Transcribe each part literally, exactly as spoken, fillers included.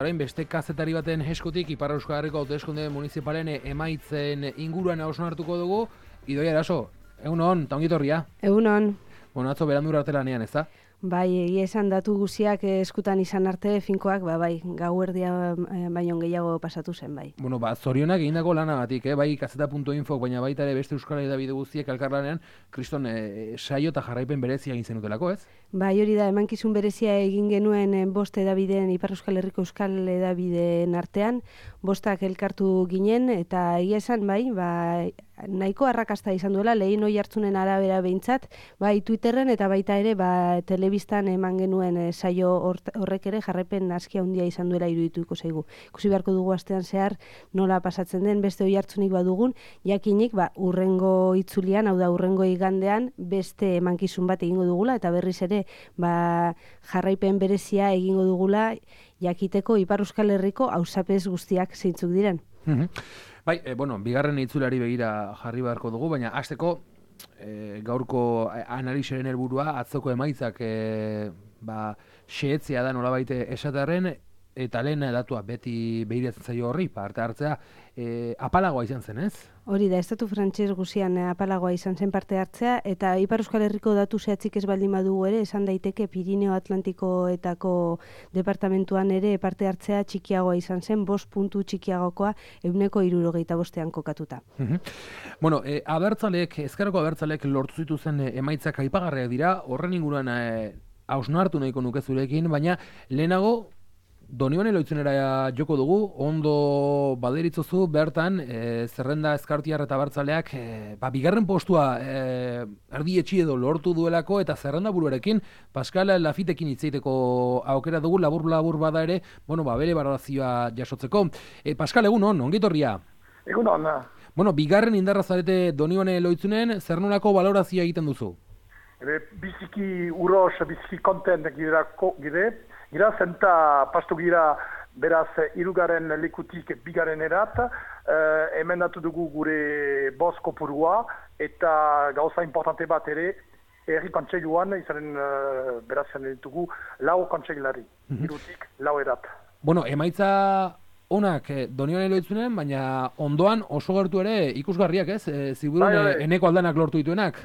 Orain beste kazetari baten eskutik Ipar Euskal Herriko hauteskunde municipalen emaitzen inguruan hausnartuko dugu. Idoia Eraso, egun on, ta ongi etorria. Egun on. Bueno, atzo berandu arte lanean, ez da? Bai, egia esan datu guziak eskutan izan arte finkoak, ba, bai, gauerdia baino gehiago pasatu zen, bai. Bueno, ba, zorionak egindako lanagatik, eh? Bai, kazeta puntu info, baina baita ere beste Euskal Hedabide guztiek elkarlanean, kriston eh, saio eta jarraipen berezia egin zenutelako, ez? Bai, hori da, emankizun berezia egin genuen bost edabideen, Ipar Euskal Herriko Euskal Hedabideen artean, bostak elkartu ginen, eta egia esan, bai, ba, nahiko arrakasta izan duela, lehen oi hartzunen arabera behintzat, bai Twitterren eta baita ere ba, telebistan eman genuen e, saio horrek ere jarraipen aski handia izan duela irudituko zaigu. Ikusi beharko dugu astean zehar nola pasatzen den, beste oi hartzunik badugun, jakinik ba, urrengo itzulian, hau da urrengo igandean, beste emankizun bat egingo dugula, eta berriz ere ba, jarraipen berezia egingo dugula, jakiteko Ipar Euskal Herriko auzapez guztiak zeintzuk diren. Bai, e, bueno, bigarren itzulari begira jarri beharko dugu, baina hasteko e, gaurko analisaren helburua atzoko emaitzak e, ba, xehetzea da nolabait esatearren, eta lehen datua beti behiratzen zaio horri, parte hartzea, e, apalagoa izan zen, ez? Hori da, estatu frantses guzian apalagoa izan zen parte hartzea, eta Ipar Euskal Herriko datu zehatzik ez baldin badugu ere, esan daiteke Pirineo Atlantikoetako departamentuan ere parte hartzea txikiagoa izan zen, bost puntu txikiagokoa ehuneko hirurogeita bostean kokatuta. Bueno, e, abertzalek, ezkerreko abertzalek lortu zituzen emaitzak aipagarriak dira, horren inguruan e, hausnartu nahiko nuke zurekin, baina lehenago Donione Loitzunera joko dugu, ondo baderitzozu bertan, e, zerrenda ezkartiar eta bertzaleak, e, ba, bigarren postua e, erdi etxi edo lortu duelako, eta zerrenda buruarekin, Pascal Lafitekin hitzeiteko aukera dugu, labur-labur bada ere, bueno, ba, bere balorazioa jasotzeko. E, Pascal, egun on, ongitorria? Egun on. Bueno, bigarren indarra zarete Donione Loitzunen, zer nolako balorazioa egiten duzu? Ebe, biziki uros, biziki kontent gire, gira zenta pastu gira beraz irugaren lekutik bigaren erat, eh, emendatu dugu gure boz kopurua, eta gauza importante bat ere, herri kontseiluan izanen uh, beraz ditugu lau kontseilari, mm-hmm. irutik lau erat. Bueno, emaitza onak eh, Donione Loitzunen, baina ondoan oso gertu ere ikusgarriak, ez? E, Ziburun bai, bai. Eneko aldanak lortu dituenak.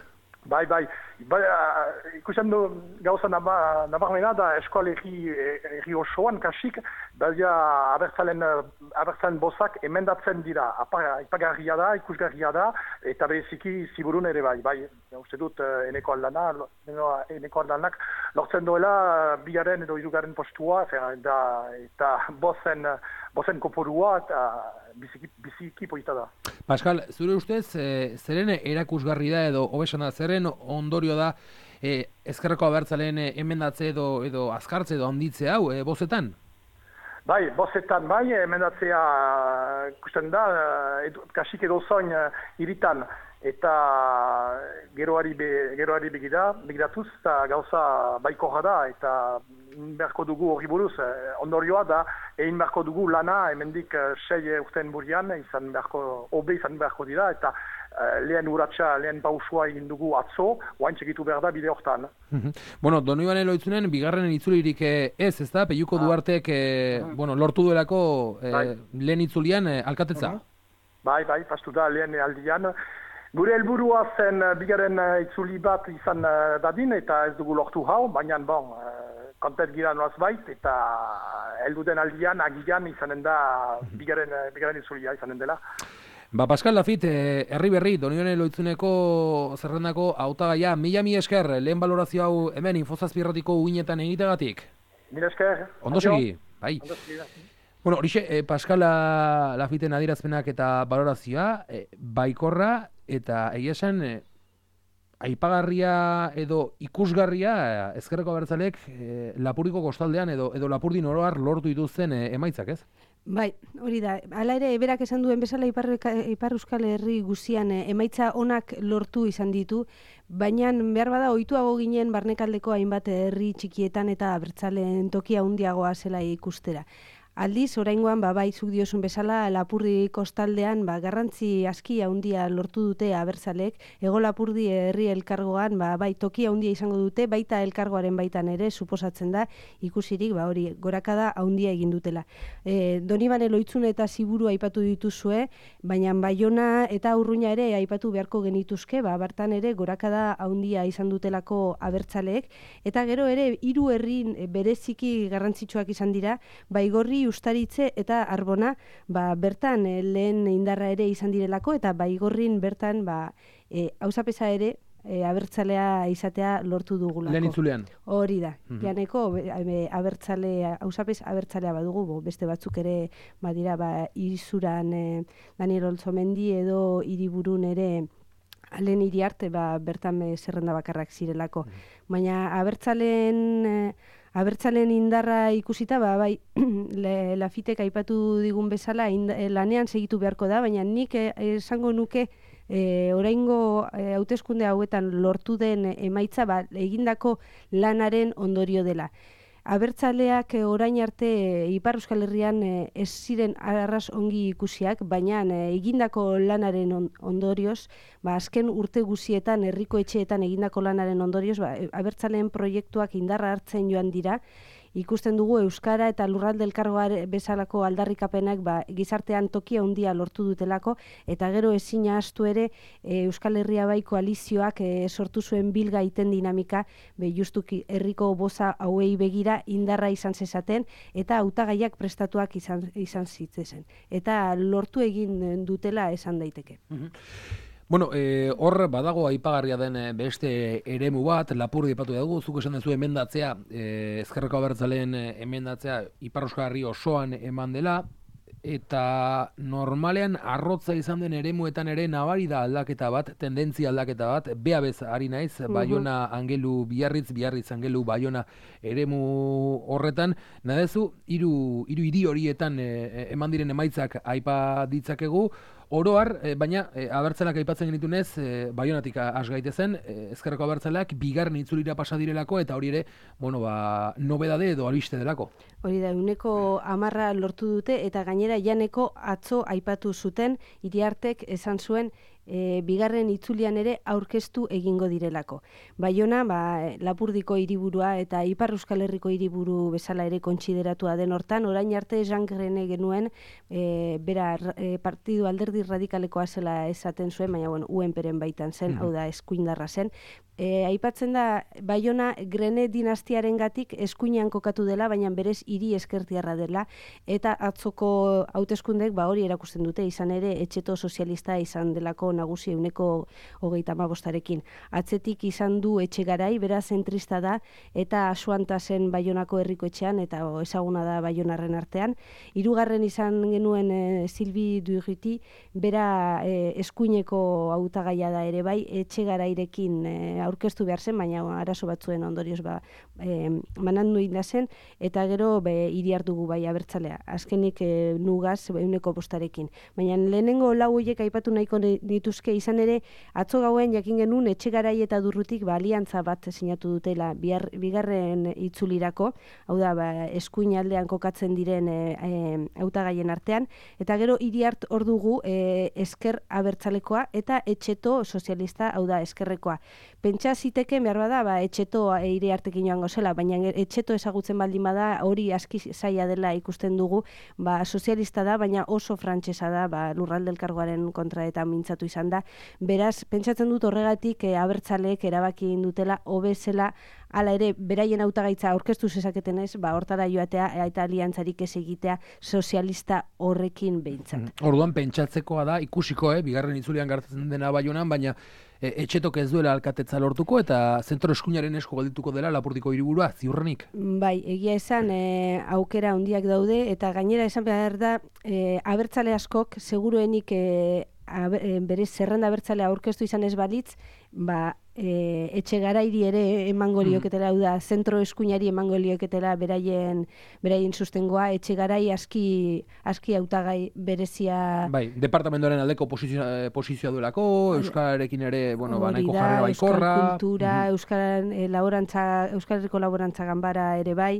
Bai, bai, bai uh, ikusten du gauza nabarmena da eskualegi erri osoan kasik, baina abertzalen, abertzalen bozak emendatzen dira, ipagarria da, ikusgarria da, eta bereziki Ziburun ere bai, bai, uste dut eneko aldana, eneko aldanak lortzen duela bigaren edo irugaren postua, eta, eta bozen, bozen kopurua, eta biziki, biziki polita da. Pascal, zure ustez, e, zeren erakusgarri da edo hobesan da, zeren ondorio da e, ezkerreko abertzaleen emendatze edo, edo azkartze edo handitze hau, e, bozetan? Bai, bozetan bai, emendatzea ikusten da, edu, kasik edo zoin iritan, eta geroari, be, geroari begira, begiratuz, eta gauza baiko da, eta beharko dugu hori buruz, ondorioa da, egin beharko dugu lana, hemendik sei urten burian, izan beharko, obe izan beharko dira, eta uh, lehen uratxa, lehen pausua egin dugu atzo, oain txekitu behar da bide hortan. Bueno, Donione Loitzunen, bigarren itzulirik ez, ez da? Peiuko ah. Duartek, eh, uh-huh. bueno, lortu duelako eh, bai. Lehen itzulian eh, alkatetza? Uh-huh. Bai, bai, pastu da lehen aldian. Gure helburua zen bigarren itzuli bat izan dadin, eta ez dugu lortu hau, baina bon, kontent gira noaz bait, eta helduden aldian, agian izanen da bigarren, bigarren itzulia izanen dela. Ba, Pascal Lafite, herri berri, Donione Loitzuneko zerrendako hautagaia, mila mi esker, lehen balorazio hau hemen infozazpirratiko uinetan egitegatik. Mila esker. Ondo segi, bai. Ondo segi, bueno, horixe, eh, Pascal Lafiten adierazpenak eta balorazioa, eh, baikorra, eta egia esan, eh, aipagarria edo ikusgarria eh, ezkerreko abertzalek eh, Lapurdiko kostaldean edo, edo Lapurdin oroar lortu dituzten eh, emaitzak, ez? Bai, hori da. Hala ere, berak esan duen bezala Ipar, Ipar Euskal Herri guzian eh, emaitza onak lortu izan ditu, baina behar bada ohituago ginen barnekaldeko hainbat herri txikietan eta abertzaleen tokia handiagoa zela ikustera. Aldiz, oraingoan, ba, bai, zuk diozun bezala, Lapurdi kostaldean, ba, garrantzi aski handia lortu dute abertzalek, Hego Lapurdi herri elkargoan, ba, bai, tokia handia izango dute, baita elkargoaren baitan ere, suposatzen da, ikusirik, ba, hori, gorakada handia egin dutela. E, Donibane Lohitzune eta Ziburu aipatu dituzue, baina Baiona eta Urruña ere aipatu beharko genituzke, ba, bertan ere gorakada handia izan dutelako abertzaleek, eta gero ere, hiru herri bereziki garrantzitsuak izan dira, Baigorri, Ustaritze eta Arbona, ba, bertan e, lehen indarra ere izan direlako, eta Baigorrin bertan ba, e, auzapeza ere e, abertzalea izatea lortu dugulako. Lehen itzulean. Hori da. Mm-hmm. Janeko e, abertzalea, auzapez abertzalea badugu, bo, beste batzuk ere badira, ba, Izuran e, Daniel Olzomendi edo Hiriburun ere Alen Iriarte ba, bertan e, zerrenda bakarrak zirelako. Mm-hmm. Baina abertzaleen... E, Abertzalen indarra ikusita, ba, bai, Lafitek aipatu digun bezala, inda, lanean segitu beharko da, baina nik esango nuke e, oraingo e, hauteskunde hauetan lortu den emaitza, ba, egindako lanaren ondorio dela. Abertzaleak e, orain arte e, Ipar Euskal Herrian e, ez ziren arras ongi ikusiak, baina e, egindako lanaren on, ondorioz, ba, azken urte guzietan, herriko etxeetan egindako lanaren ondorioz, ba, abertzaleen proiektuak indarra hartzen joan dira, ikusten dugu Euskara eta Lurralde Elkargoa bezalako aldarrikapenak ba, gizartean tokia handia lortu dutelako, eta gero ezin ahaztu ere e, Euskal Herria bai koalizioak e, sortu zuen bilga iten dinamika, be justuki herriko boza hauei begira indarra izan zezaten, eta hautagaiak prestatuak izan, izan zitzezen. Eta lortu egin dutela esan daiteke. Mm-hmm. Bueno, eh, hor badago aipagarria den beste eremu bat, Lapurdi aipatu dugu, zuk esan duzu emendatzea, eh, Ezkerreko Abertzaleen emendatzea Ipar Euskal Herri osoan eman dela, eta normalean arrotza izan den eremuetan ere nabari da aldaketa bat, tendentzia aldaketa bat, bea bez ari naiz, Baiona Angelu Biarritz, Biarritz Angelu Baiona eremu horretan, nadezu, hiru hiru hiri horietan e, eman diren emaitzak aipa ditzakegu, oroar, e, baina e, abertzaleak aipatzen genitunez, e, Baionatik has gaitezen, e, Ezkerreko abertzaleak bigarren itzulira pasa direlako, eta hori ere, bueno, ba, nobedade edo albiste delako. Hori da, uneko hamarra lortu dute, eta gainera janeko atzo aipatu zuten, Iriartek esan zuen, E, bigarren itzulian ere aurkeztu egingo direlako. Baiona, ba, Lapurdiko hiriburua eta Ipar Euskal Herriko hiriburu bezala ere kontsideratua den hortan, orain arte Jean Grene genuen, e, bera e, partidu alderdi radikalekoa zela esaten zuen, baina bueno, U N Pren baitan zen, mm-hmm. hau da eskuindarra zen. E, aipatzen da, Baiona Grene dinastiaren gatik eskuinean kokatu dela, baina berez hiri ezkertiarra dela, eta atzoko hauteskundek ba hori erakusten dute, izan ere etxeto sozialista izan delako nagusi euneko hogeita hamabostarekin. Atzetik izan du Etxegarai, beraz zentrista da, eta Asuanta zen Baionako herriko etxean, eta o, ezaguna da Baionarren artean. Hirugarren izan genuen e, Silvi Durruti, bera e, eskuineko hautagaia da ere bai, Etxegarairekin e, aurkeztu behar zen, baina arazo batzuen ondorioz ba, e, manandu inda zen, eta gero be, hiri hartugu bai abertzalea. Azkenik e, nugaz euneko bostarekin. Baina lehenengo lau horiek aipatu nahiko dituzke izan ere, atzo gauen jakin genuen Etxegarai eta Durrutik ba, aliantza bat sinatu dutela bihar, bigarren itzulirako, hau da ba, eskuin aldean kokatzen diren e, e, hautagaien artean, eta gero hiri hart hor dugu e, ezker abertzalekoa eta etxeto sozialista, hau da ezkerrekoa. Pentsa ziteke behar bada, ba, etxeto eire hartekin joango zela, baina etxeto ezagutzen baldin bada, hori aski zaila dela ikusten dugu, ba, sozialista da, baina oso frantsesa da, ba, Lurralde Elkargoaren kontra eta mintzatu izan da. Beraz, pentsatzen dut horregatik e, abertzaleek erabaki dutela hobezela, hala ere, beraien hautagaitza aurkeztu zezaketen ez, ba, hortara joatea eta aliantzarik ez egitea sozialista horrekin behintzat. Orduan pentsatzekoa da, ikusiko, eh, bigarren itzulian gertatzen dena Baionan, baina e, etxetok ez duela alkatetza lortuko eta zentro eskuinaren esku geldituko dela Lapurdiko hiriburua, ziurrenik. Bai, egia esan e, aukera handiak daude, eta gainera esan behar da, e, abertzale askok, seguruenik e, aber, e, berez zerrenda abertzalea aurkeztu izan ez balitz, ba, E, Etxegarairi ere emango lioketela, hau da, zentro eskuinari emango lioketela beraien, beraien sustengoa, Etxegarai aski, aski hautagai berezia... Bai, departamentoaren aldeko posizioa, posizioa duelako, Euskararekin ere, bueno, ba, nahiko jarrera baikorra... Euskal kultura, mm-hmm. Euskal, e, laborantza, Euskal Herriko laborantza ganbara ere bai...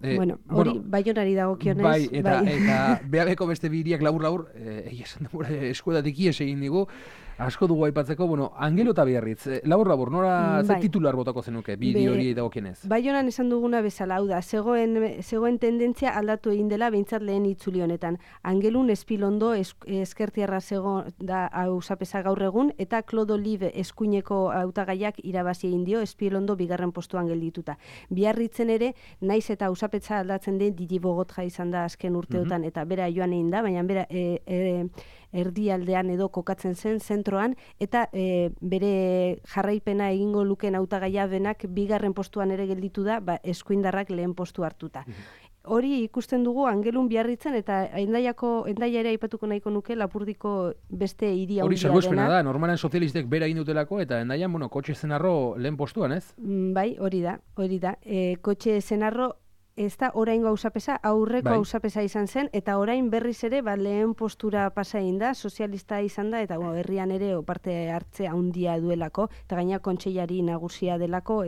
E, bueno, hori bueno, Baionari dagokionez. Bai, eta, bai. eta B A Bko beste biriak labur-labur, egia esan da, eskuedatik ies egin digu, asko dugu aipatzeko, bueno, Angelo eta Biarritz, labur-labur, nora bai. Ze titular botako zenuke, bideo hori dagokienez? Baionan esan duguna bezala, hau da, zegoen, zegoen tendentzia aldatu egin dela, behintzat lehen itzuli honetan. Angelun Espilondo eskertiarra zego da hausapesa gaur egun, eta Claude Olive eskuineko hautagaiak irabazi egin dio, Espilondo bigarren postuan geldituta. Biarritzen ere, naiz eta hausapetza aldatzen den Didi Bogotja izan da azken urteotan, mm-hmm. eta bera joan egin da, baina bera e, e, erdialdean edo kokatzen zen zentroan, eta e, bere jarraipena egingo luken hautagaia benak bigarren postuan ere gelditu da, ba, eskuindarrak lehen postu hartuta. Mm-hmm. Hori ikusten dugu Angelun Biarritzen eta Hendaiako Hendaia ere aipatuko nahiko nuke Lapurdiko beste hiri handia dena. Hori salbuespena da, normalan sozialistek bera egin dutelako eta Hendaian, bueno, kotxe zenarro lehen postuan, ez? Bai, hori da, hori da. E, kotxe zenarro ez da oraingo hausapesa, aurreko bai. hausapesa izan zen, eta orain berriz ere ba, lehen postura pasa egin da, sozialista izan da, eta bueno, herrian ere parte hartzea handia duelako, eta gaina kontseilari nagusia delako,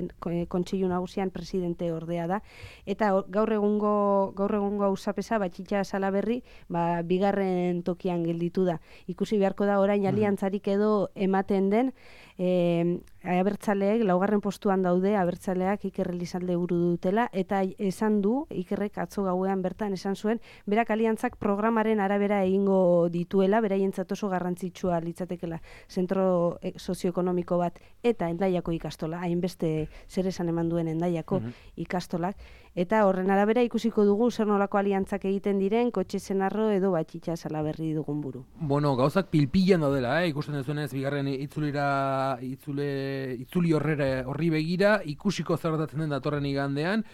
kontseilu nagusian presidente ordea da, eta gaur egungo gaur egungo hausapesa, Batxitxa Salaberri, ba, bigarren tokian gelditu da. Ikusi beharko da orain aliantzarik edo ematen den, e, abertzaleek laugarren postuan daude, abertzaleak Iker Elizalde buru dutela, eta esan du, Ikerrek atzo gauean bertan esan zuen, berak aliantzak programaren arabera egingo dituela, beraientzat oso garrantzitsua litzatekela zentro sozioekonomiko bat, eta Hendaiako ikastola, hainbeste zer esan eman duen Hendaiako uh-huh. ikastolak, eta horren arabera ikusiko dugu zer nolako aliantzak egiten diren, Kotxe Zenarro edo Batxitxa Salaberri dugun buru. Bueno, gauzak pilpilan daudela, eh? Ikusten duzuenez, bigarren itzulira, itzule, itzuli horrera horri begira, ikusiko zer gertatzen den datorren igandean,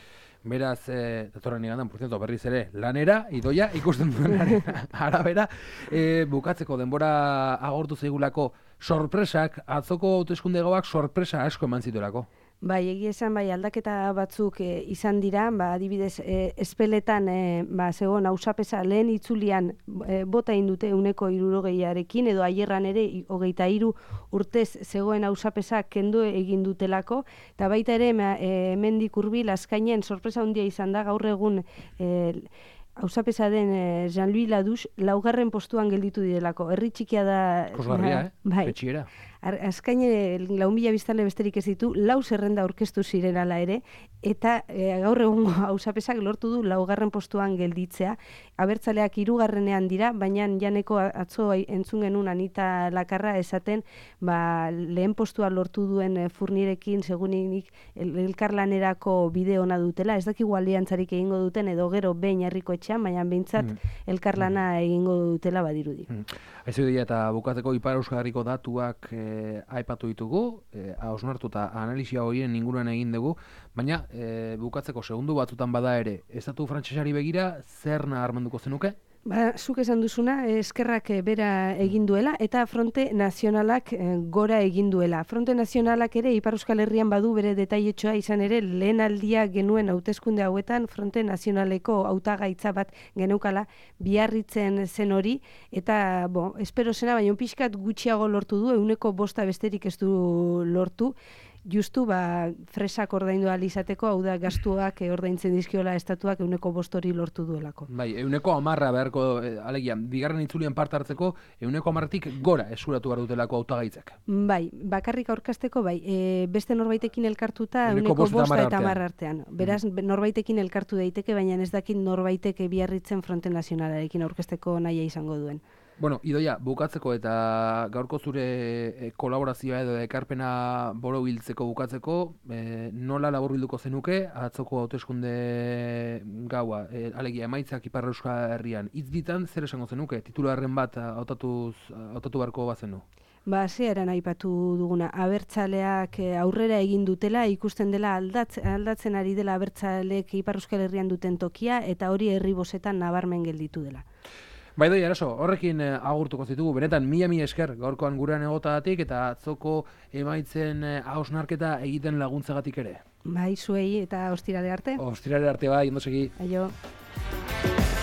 beraz, eh, datorren igandean, por cierto, berriz ere, lanera, idoia, ikusten duen arabera, eh, bukatzeko denbora agortu zaigulako sorpresak, atzoko hauteskunde gauak sorpresa asko eman zituelako. Bai, egia esan, bai, aldaketa batzuk e, izan dira, ba, adibidez, e, espeletan, e, ba, zegoen hausapesa lehen itzulian e, bota indute uneko hirurogeiarekin, edo aierran ere hogeita hiru urtez zegoen hausapesa kendu egin dutelako, eta baita ere, e, hemendik hurbil azkainen sorpresa handia izan da, gaur egun e, hausapesa den eh, Jean-Louis Ladouche laugarren postuan gelditu direlako. Herri txikia da... Kosgarria, eh? Bai. Betxiera. Azkaine lau mila biztanle besterik ez ditu, lau zerrenda aurkeztu ziren ala ere, eta e, gaur egungo hausapesak lortu du laugarren postuan gelditzea. Abertzaleak hirugarrenean dira, baina janeko atzo entzun genuen Anita Lakarra esaten, ba, lehen postua lortu duen e, Furnirekin seguninik el, elkarlanerako bide ona dutela, ez dakigu aliantzarik egingo duten, edo gero behin herriko etxean, baina behintzat mm. elkarlana mm. egingo dutela badirudi. Mm. Aizu dira, eta bukatzeko Ipar Euskal Herriko datuak e, aipatu ditugu, e, hausnartu eta analizia horien inguruan egin dugu, baina e, bukatzeko segundu batzutan bada ere, estatu frantsesari begira, zer nabarmenduko zenuke? Ba, zuk esan duzuna, eskerrak bera egin duela, eta Fronte Nazionalak gora egin duela. Fronte Nazionalak ere, Ipar Euskal Herrian badu bere detailetxoa izan ere, lehen aldia genuen hauteskunde hauetan, Fronte Nazionaleko hautagaitza bat geneukala, Biarritzen zen hori, eta, bo, espero zena, baina pixkat gutxiago lortu du, euneko bosta besterik ez du lortu, justu, ba, fresak ordaindu ahal izateko, hau da, gastuak e, ordaintzen dizkiola estatuak euneko bostori lortu duelako. Bai, euneko amarra beharko, e, alegia, bigarren itzulien parte hartzeko, euneko amarretik gora eskuratu behar dutelako hautagaitzak. Bai, bakarrik aurkasteko, bai, e, beste norbaitekin elkartuta euneko bosta eta amarra artean. Beraz, mm. norbaitekin elkartu daiteke, baina ez dakit norbaiteke Biarritzen Fronte Nazionalarekin aurkasteko nahia izango duen. Bueno, Idoia, bukatzeko eta gaurko zure kolaborazioa edo ekarpena borobiltzeko bukatzeko, e, nola laburbilduko zenuke, atzoko hauteskunde gaua, e, alegia emaitzak Ipar Euskal Herrian, hitz bitan zer esango zenuke, titularren bat hautatuz hautatu beharko bazenu? Ba, zearen aipatu duguna, abertzaleak aurrera egin dutela, ikusten dela aldatz, aldatzen ari dela abertzaleek Ipar Euskal Herrian duten tokia, eta hori herri bosetan nabarmen gelditu dela. Bai doi, arazo, horrekin eh, agurtuko zitugu, benetan mila mila esker gaurkoan gurean egotagatik eta atzoko emaitzen eh, hausnarketa egiten laguntzagatik ere. Bai, zuei eta ostirale arte. Ostirale arte bai, ondo segi. Aio.